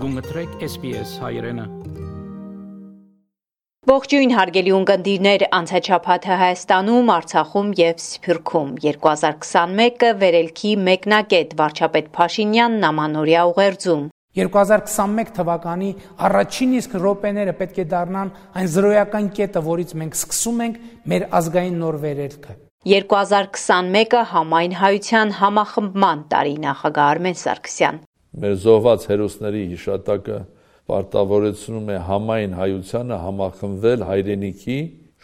Գունգտրեք SPS հայրենը։ Ողջույն հարգելի ունկնդիրներ, անցաչափաթը Հայաստանում, Արցախում եւ Սփյուռքում 2021-ը վերելքի մեկնակետ վարչապետ Փաշինյանն ամանորյա ուղերձում 2021 թվականի առաջին իսկ րոպեները պետք է դառնան այն զրոյական կետը, որից մենք սկսում ենք մեր ազգային նոր վերելքը։ 2021-ը համայն հայության համախմբման տարի նախագահ Արմեն Սարգսյան։ Մեր զոհված հերոսների հիշատակը պարտավորեցնում է համայն հայությանը համախմբվել հայրենիքի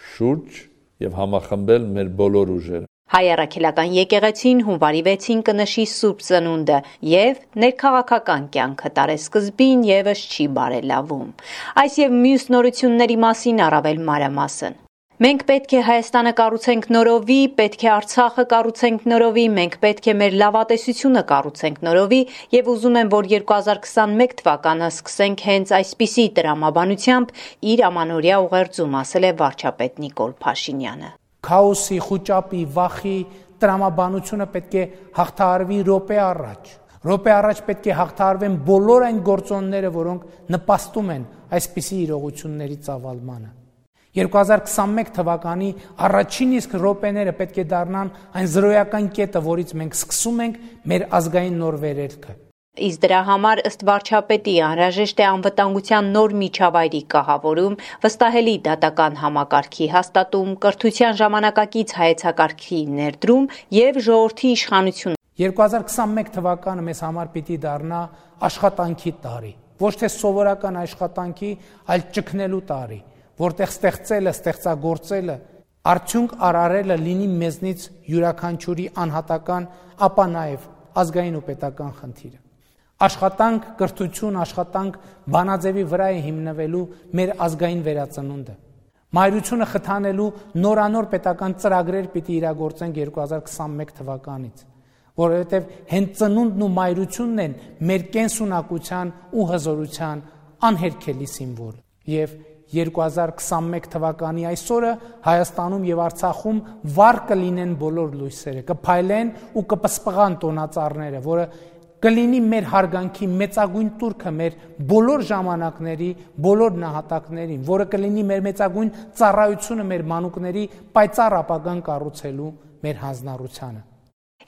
շուրջ եւ համախմբել մեր բոլոր ուժերը։ Հայ առաքելական եկեղեցին հունվարի 6-ին կնշի Սուրբ Ծնունդը եւ ներքաղաքական կյանքը տարեսկզբին եւս չի բարելավում։ Այս եւ մյուս նորությունների մասին առավել մանրամասն։ Մենք պետք է Հայաստանը կառուցենք նորովի, պետք է Արցախը կառուցենք նորովի, մենք պետք է մեր լավատեսությունը կառուցենք նորովի եւ ուզում եմ, որ 2021 թվականը սկսենք հենց այսպիսի տրամաբանությամբ իր ամանորյա ուղերձում, ասել է վարչապետ Նիկոլ Փաշինյանը։ Քաոսի, խուճապի, վախի տրամաբանությունը պետք է հաղթահարվի րոպե առաջ։ Րոպե առաջ պետք է հաղթահարվեն բոլոր այն գործոնները, որոնք նպաստում են այսպիսի իրողությունների ծավալմանը։ 2021 թվականի առաջին իսկ րոպեները պետք է դառնան այն զրոյական կետը, որից մենք սկսում ենք մեր ազգային նոր վերելքը։ Իսկ դրա համար ըստ վարչապետի անհրաժեշտ է անվտանգության նոր միջավայրի կահավորում, վստահելի դատական համակարգի հաստատում, կրթության ժամանակակից հայեցակարգի ներդրում եւ ժողովրդի իշխանություն։ 2021 թվականը մեզ համար պիտի դառնա աշխատանքի տարի, ոչ թե սովորական աշխատանքի, այլ ճգնելու տարի, որտեղ ստեղծելը, ստեղծագործելը, արդյունք արարելը լինի մեզնից յուրաքանչյուրի անհատական, ապա նաև ազգային ու պետական խնդիրը։ Աշխատանք, կրթություն, աշխատանք բանաձևի վրա է հիմնվելու մեր ազգային վերածնունդը։ Մայրությունը խթանելու նորանոր պետական ծրագրեր պիտի իրագործենք 2021 թվականից, որովհետև հենց ծնունդն ու մայրությունն են մեր կենսունակության ու հզորության անհերքելի սիմվոլ։ Եվ 2021 թվականի այսօրը Հայաստանում եւ Արցախում վառ կլինեն բոլոր լույսերը, կփայլեն ու կպսպղան տոնածառները, որը կլինի մեր հարգանքի մեծագույն տուրքը մեր բոլոր ժամանակների, բոլոր նահատակներին, որը կլինի մեր մեծագույն ծառայությունը մեր մանուկների պայծառ ապագան կառուցելու մեր հանձնառությանը։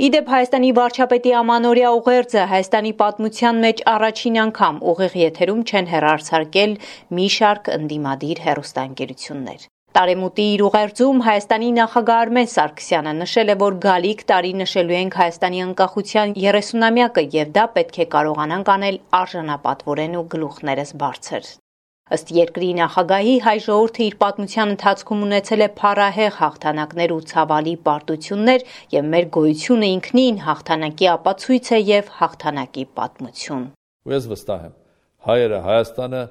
Իդեպ Հայաստանի վարչապետի ամանորյա ուղերձը Հայաստանի պատմության մեջ առաջին անգամ ուղիղ եթերում չեն հեռարձակել մի շարք ընդդիմադիր հեռուստաընկերություններ։ Տարեմուտի իր ուղերձում Հայաստանի նախագահ Արմեն Սարգսյանը նշել է, որ գալիք տարի նշելու ենք Հայաստանի անկախության 30-ամյակը եւ դա պետք է կարողանանք անել արժանապատվորեն ու գլուխներս բարձր։ Ըստ երկրի նախագահի հայ ժողովուրդը իր պատմության ընթացքում ունեցել է փառահեղ հաղթանակներ ու ցավալի պարտություններ եւ մեր գոյությունը ինքնին հաղթանակի ապացույց է եւ հաղթանակի պատմություն։ Ես վստահ եմ, հայերը Հայաստանը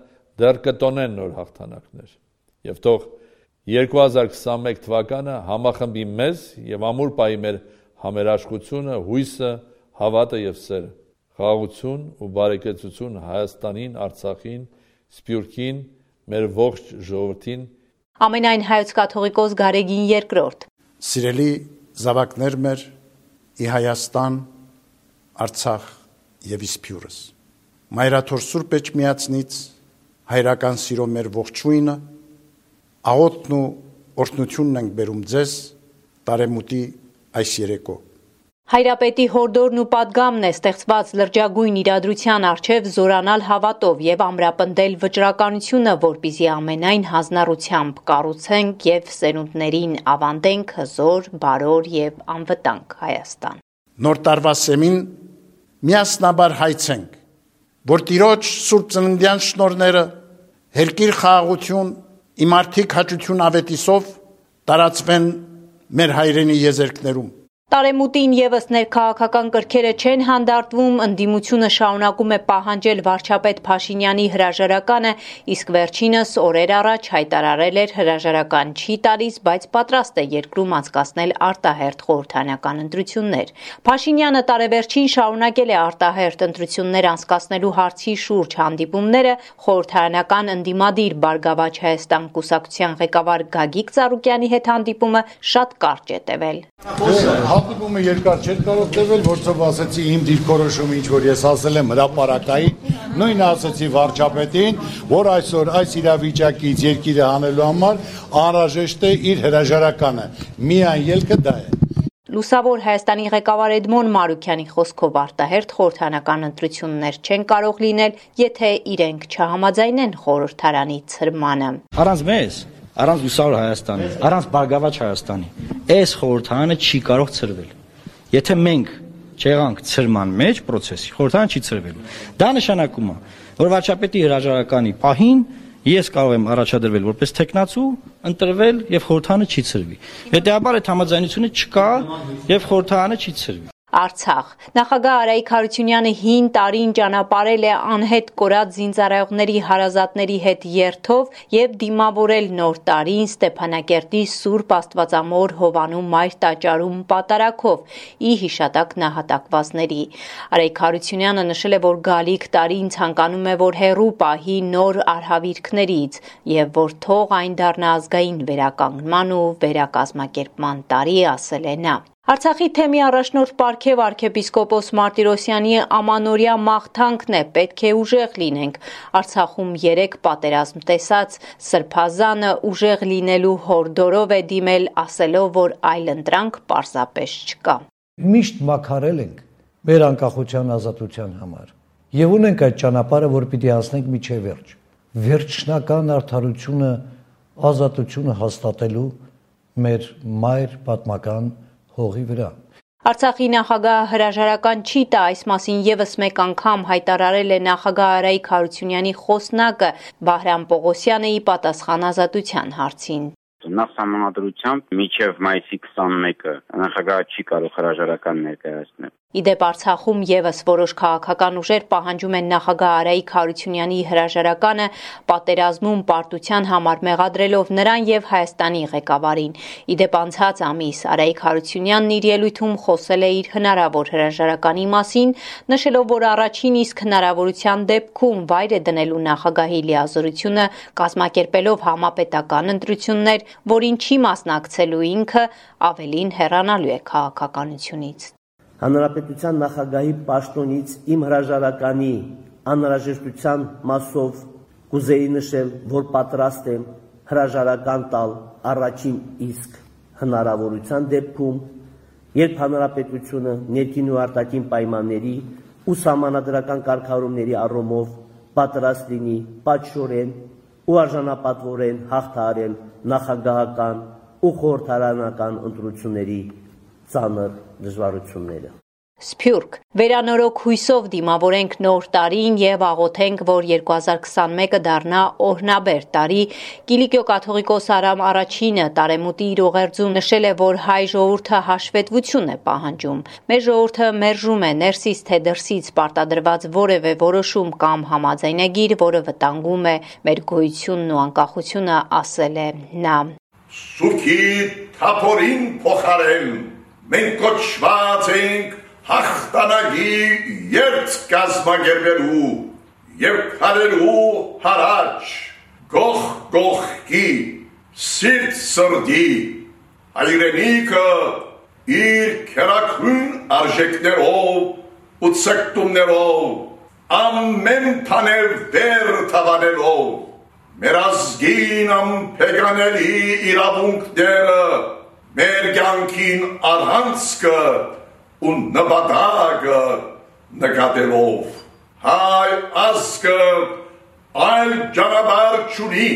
դեռ կտոնեն նոր հաղթանակներ եւ թող 2021 թվականը համախմբի մեզ եւ ամուր պահի մեր համերաշխությունը, հույսը, հավատը եւ սերը։ Խաղաղություն ու բարեկեցություն Հայաստանին, Արցախին, Սփյուռքին, մեր ողջ ժողովրդին։ Ամենայն հայոց կաթողիկոս Գարեգին II։ Սիրելի զավակներ մեր, ի Հայաստան, Արցախ եւ Սփյուռս։ Մայրաթոր Սուրբ Էջմիածնից հայրական սիրո մեր ողջույնը, աղոթն ու օրհնությունն ենք բերում ձեզ տարեմուտի այս երեկո։ Հայրապետի հորդորն ու պատգամն է ստեղծված լրջագույն իրադրության առջև զորանալ հավատով եւ ամրապնդել վճռականությունը, որպեսզի ամենայն հանձնառությամբ կառուցենք եւ սերունդներին ավանդենք հզոր, բարոր եւ անվտանգ Հայաստան։ Նոր տարվա սեմին միասնաբար հայցենք, որ Տիրոջ Սուրբ Ծննդյան շնորհները հերկիր խաղաղություն, իմարդիկ հաճություն ավետիսով տարածվեն մեր հայրենի եզերքներում։ Տարեմուտին եւս ներքաղաքական կրքերը չեն հանդարտվում, ընդդիմությունը շարունակում է պահանջել վարչապետ Փաշինյանի հրաժարականը, իսկ վերջինս օրեր առաջ հայտարարել էր հրաժարական չի տալիս, բայց պատրաստ է երկրում անցկացնել արտահերթ խորհրդարանական ընտրություններ։ Փաշինյանը տարեվերջին շարունակել է արտահերթ ընտրություններ անցկացնելու հարցի շուրջ հանդիպումները, խորհրդարանական ընդդիմադիր Բարգավաճ Հայաստան կուսակցության ղեկավար Գագիկ Ծառուկյանի հետ հանդիպումը շատ կարճ է տևել։ Հանդիպումը երկար չէր կարող տևել, որովհետև ասացի իմ դիրքորոշումը, ինչ որ ես ասել եմ հրապարակային, նույնը ասացի վարչապետին, որ այսօր այս իրավիճակից երկիրը հանելու համար անհրաժեշտ է իր հրաժարականը։ Միայն ելքը դա է։ Լուսավոր Հայաստանի ղեկավար Էդմոն Մարուքյանի խոսքով արտահերթ խորհրդարանական ընտրություններ չեն կարող լինել, եթե իրենք չհամաձայնեն խորհրդարանի ցրմանը։ Առանց մեզ, առանց Լուսավոր Հայաստանի, առանց Բարգավաճ Հայաստանի, այս խորհրդարանը չի կարող ցրվել։ Եթե մենք չեղանք ցրման մեջ process-ի, խորհրդարանը չի ցրվելու։ Դա նշանակում է, որ վարչապետի հրաժարականի պահին ես կարող եմ առաջադրվել որպես տեխնացու, ընտրվել եւ խորհրդարանը չի ցրվի։ Հետեւաբար այդ համաձայնությունը չկա եւ խորհրդարանը չի ցրվի։ Արցախ նախագահ Արայիկ Հարությունյանը 5 տարին ճանապարհել է անհետ կորած զինծառայողների հարազատների հետ երթով եւ դիմավորել նոր տարին Ստեփանակերտի Սուրբ Աստվածամոր Հովանու Մայր տաճարում պատարակով ի հիշատակ նահատակվածների։ Արայիկ Հարությունյանը նշել է, որ գալիք տարին ցանկանում է, որ հեռու պահի նոր արհավիրքներից եւ որ թող այն դառնա ազգային վերականգնման ու վերակազմակերպման տարի, ասել է նա։ Արցախի թեմի առաջնորդ պարգև arczepiskopos Մարտիրոսյանի ամանորյա մաղթանքն է, պետք է ուժեղ լինենք։ Արցախում 3 պատերազմ տեսած Սրբազանը ուժեղ լինելու հորդորով է դիմել, ասելով, որ այլ ընտրանք պարզապես չկա։ Միշտ մաքարել ենք մեր անկախության ազատության համար եւ ունենք այդ ճանապարհը, որ պիտի անցնենք միջև վերջ։ Վերջնական արդարությունը, ազատությունը հաստատելու մեր մայր պատմական հողի վրա։ Արցախի նախագահը հրաժարական չի տա, այս մասին եւս մեկ անգամ հայտարարել է նախագահ Արայիկ Հարությունյանի խոսնակը Վահրամ Պողոսյանը ի պատասխան ազատության հարցին։ Նախ համանդրությամբ մինչև մայիսի 21-ը նախագահը չի կարող հրաժարական ներկայացնել։ Իդեպ Արցախում եւս որոշ քաղաքական ուժեր պահանջում են նախագահ Արայիկ Հարությունյանի հրաժարականը պատերազմում պարտության համար մեղադրելով նրան եւ Հայաստանի ղեկավարին։ Իդեպ անցած ամիս Արայիկ Հարությունյանն իր ելույթում խոսել է իր հնարավոր հրաժարականի մասին, նշելով, որ առաջին իսկ հնարավորության դեպքում վայր է դնելու նախագահի լիազորությունը կազմակերպելով համապետական ընտրություններ, որին չի մասնակցելու ինքը, ավելին հեռանալու է քաղաքականությունից։ Հանրապետության նախագահի պաշտոնից իմ հրաժարականի անհրաժեշտության մասով կուզեի նշել, որ պատրաստ եմ հրաժարական տալ առաջին իսկ հնարավորության դեպքում, երբ հանրապետությունը ներքին ու արտաքին պայմանների ու սահմանադրական կարգավորումների առումով պատրաստ լինի պատշորեն ու արժանապատվորեն հաղթահարել նախագահական ու խորհրդարանական ընտրությունների ծանր դժվարությունները։ Սփյուռք վերանորոգ հույսով դիմավորենք նոր տարին եւ աղոթենք, որ 2021-ը դառնա օրհնաբեր տարի։ Կիլիկիո կաթողիկոս Արամ Առաջինը տարեմուտի իր ուղերձում նշել է, որ հայ ժողովուրդը հաշվետվություն է պահանջում։ Մեր ժողովուրդը մերժում է ներսից թե դրսից պարտադրված որևէ որոշում կամ համաձայնագիր, որը վտանգում է մեր գոյությունն ու անկախությունը, ասել է նա։ Սուքի թափորին փոխարեն մենք կոչված ենք հաղթանակի երթ կազմակերպելու եւ քարելու հարաճ գող գողքի սիրտ սրդի հայրենիքը իր քերակրուն արժեքներով ու ցկտումներով ամեն տանել վեր թավանելով մեր ազգին ամփեկանելի իրավունքները մեր կյանքին առանցքը ու նպատակը նկատելով հայ ազգը այլ ճանապարհ չունի։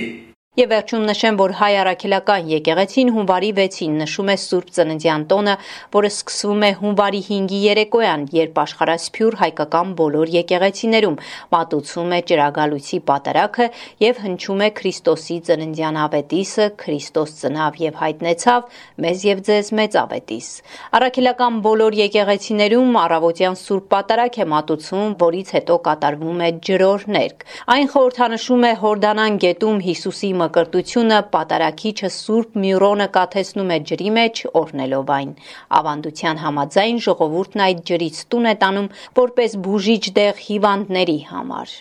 Եվ վերջում նշեմ, որ հայ առաքելական եկեղեցին հունվարի 6-ին նշում է Սուրբ Ծննդյան տոնը, որը սկսվում է հունվարի 5-ի երեկոյան, երբ աշխարհասփյուռ հայկական բոլոր եկեղեցիներում մատուցում է ճրագալույցի պատարագը եւ հնչում է Քրիստոսի ծննդյան ավետիսը, Քրիստոս ծնավ եւ հայտնեցավ, մեզ եւ ձեզ մեծ ավետիս։ Առաքելական բոլոր եկեղեցիներում առավոտյան Սուրբ պատարագ է մատուցում, որից հետո կատարվում է ջրօրհներգ։ Այն խորհրդանշում է Հորդանան գետում Հիսուսի մկրտությունը, պատարագիչը Սուրբ Մյուրոնը կաթեցնում է ջրի մեջ, օրհնելով այն։ Ավանդության համաձայն ժողովուրդն այդ ջրից տուն է տանում որպես բուժիչ դեղ հիվանդների համար։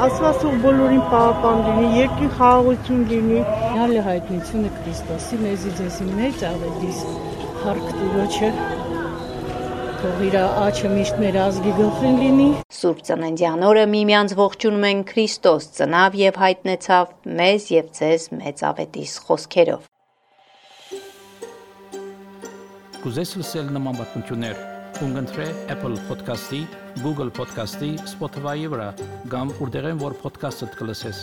Աստված բոլորին պահապան լինի, երկրի խաղաղություն լինի։ Հալի հայտնությունը Քրիստոսի մեզի ձեզի մեծ ավետիս, հարկ Տիրոջը թող իր աչքը միշտ մեր ազգի գլխին լինի։ Սուրբ Ծննդյան օրը միմյանց ողջունում են Քրիստոս ծնավ եւ հայտնեցավ մեզ եւ ձեզ մեծ ավետիս խոսքերով։ Կուզես լսել նման բանություններ, կընտրե Apple Podcast-ի, Google Podcast-ի, Spotify-ի վրա, կամ որտեղեն որ podcast-ը կլսես։